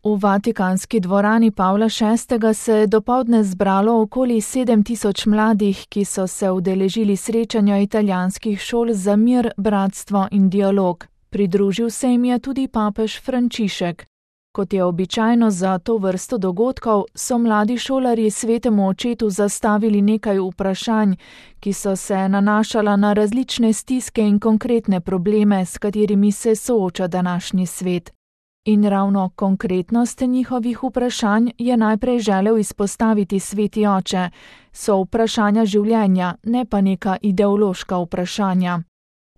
V Vatikanski dvorani Pavla VI. Se je dopoldne zbralo okoli 7000 mladih, ki so se udeležili srečanja italijanskih šol za mir, bratstvo in dialog. Pridružil se jim je tudi papež Frančišek. Kot je običajno za to vrsto dogodkov, so mladi šolarji svetemu očetu zastavili nekaj vprašanj, ki so se nanašala na različne stiske in konkretne probleme, s katerimi se sooča današnji svet. In ravno konkretnost njihovih vprašanj je najprej želel izpostaviti sveti oče. So vprašanja življenja, ne pa neka ideološka vprašanja.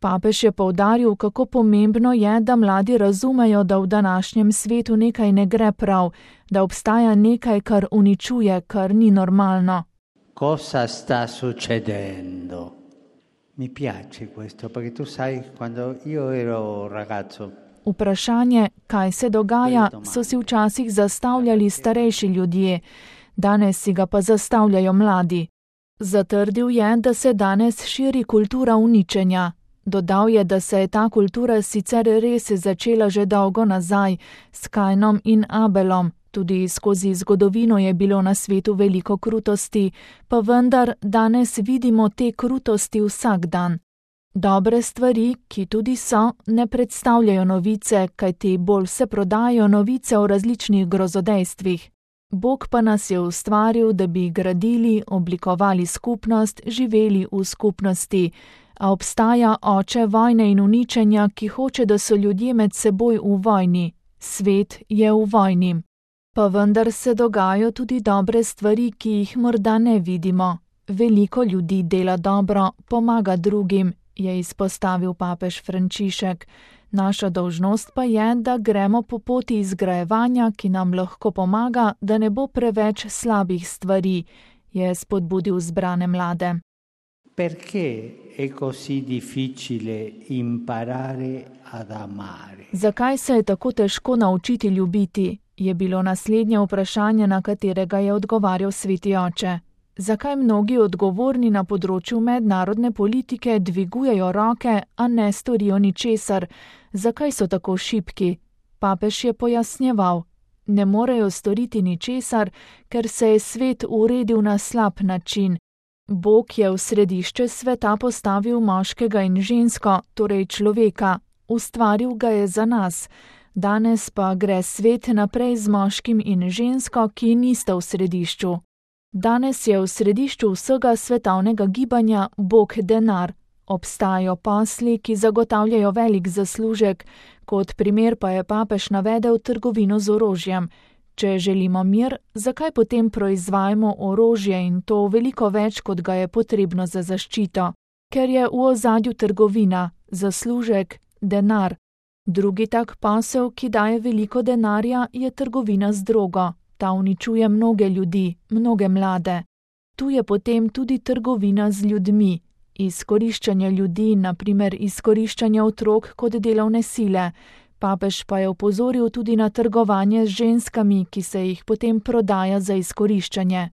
Papež je poudaril, kako pomembno je, da mladi razumejo, da v današnjem svetu nekaj ne gre prav, da obstaja nekaj, kar uničuje, kar ni normalno. Cosa sta succedendo? Mi piace questo, perché tu sai, quando io ero ragazzo, vprašanje, kaj se dogaja, so si včasih zastavljali starejši ljudje, danes si ga pa zastavljajo mladi. Zatrdil je, da se danes širi kultura uničenja. Dodal je, da se je ta kultura sicer res začela že dolgo nazaj, s Kainom in Abelom, tudi skozi zgodovino je bilo na svetu veliko krutosti, pa vendar danes vidimo te krutosti vsak dan. Dobre stvari, ki tudi so, ne predstavljajo novice, kajti bolj se prodajajo novice o različnih grozodejstvih. Bog pa nas je ustvaril, da bi gradili, oblikovali skupnost, živeli v skupnosti. A obstaja oče vojne in uničenja, ki hoče, da so ljudje med seboj v vojni. Svet je v vojni. Pa vendar se dogajajo tudi dobre stvari, ki jih morda ne vidimo. Veliko ljudi dela dobro, pomaga drugim, je izpostavil papež Frančišek. Naša dolžnost pa je, da gremo po poti izgrajevanja, ki nam lahko pomaga, da ne bo preveč slabih stvari, je spodbudil zbrane mlade. Perché è così difficile imparare ad amare? Zakaj se je tako težko naučiti ljubiti, je bilo naslednje vprašanje, na katerega je odgovarjal sveti oče. Zakaj mnogi odgovorni na področju mednarodne politike dvigujejo roke, a ne storijo ničesar? Zakaj so tako šibki? Papež je pojasnjeval. Ne morejo storiti ničesar, ker se je svet uredil na slab način. Bog je v središče sveta postavil moškega in žensko, torej človeka. Ustvaril ga je za nas. Danes pa gre svet naprej z moškim in žensko, ki nista v središču. Danes je v središču vsega svetovnega gibanja Bog denar. Obstajajo posli, ki zagotavljajo velik zaslužek, kot primer pa je papež navedel trgovino z orožjem. Če želimo mir, zakaj potem proizvajamo orožje in to veliko več, kot ga je potrebno za zaščito? Ker je v ozadju trgovina, zaslužek, denar. Drugi tak posel, ki daje veliko denarja, je trgovina z drogo. Ta uničuje mnoge ljudi, mnoge mlade. Tu je potem tudi trgovina z ljudmi. Izkoriščanje ljudi, na primer izkoriščanje otrok kot delovne sile. Papež pa je opozoril tudi na trgovanje z ženskami, ki se jih potem prodaja za izkoriščanje.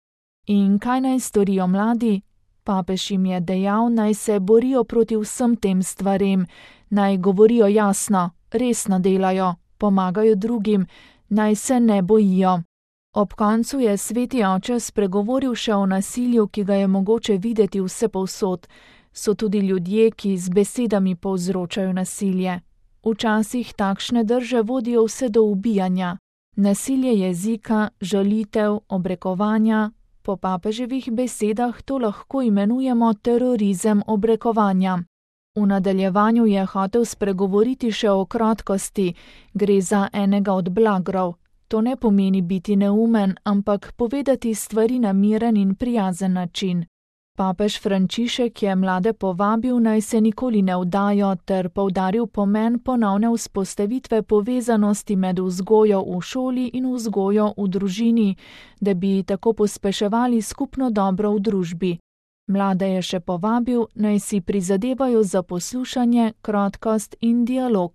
In kaj naj storijo mladi? Papež jim je dejal, naj se borijo proti vsem tem stvarem, naj govorijo jasno, resno delajo, pomagajo drugim, naj se ne bojijo. Ob koncu je sveti oče spregovoril še o nasilju, ki ga je mogoče videti vsepovsod. So tudi ljudje, ki z besedami povzročajo nasilje. Včasih takšne drže vodijo vse do ubijanja. Nasilje jezika, žalitev, obrekovanja. Po papeževih besedah to lahko imenujemo terorizem obrekovanja. V nadaljevanju je hotel spregovoriti še o krotkosti. Gre za enega od blagrov. To ne pomeni biti neumen, ampak povedati stvari na miren in prijazen način. Papež Frančišek je mlade povabil, naj se nikoli ne vdajo, ter poudaril pomen ponovne vzpostavitve povezanosti med vzgojo v šoli in vzgojo v družini, da bi tako pospeševali skupno dobro v družbi. Mlade je še povabil, naj si prizadevajo za poslušanje, krotkost in dialog.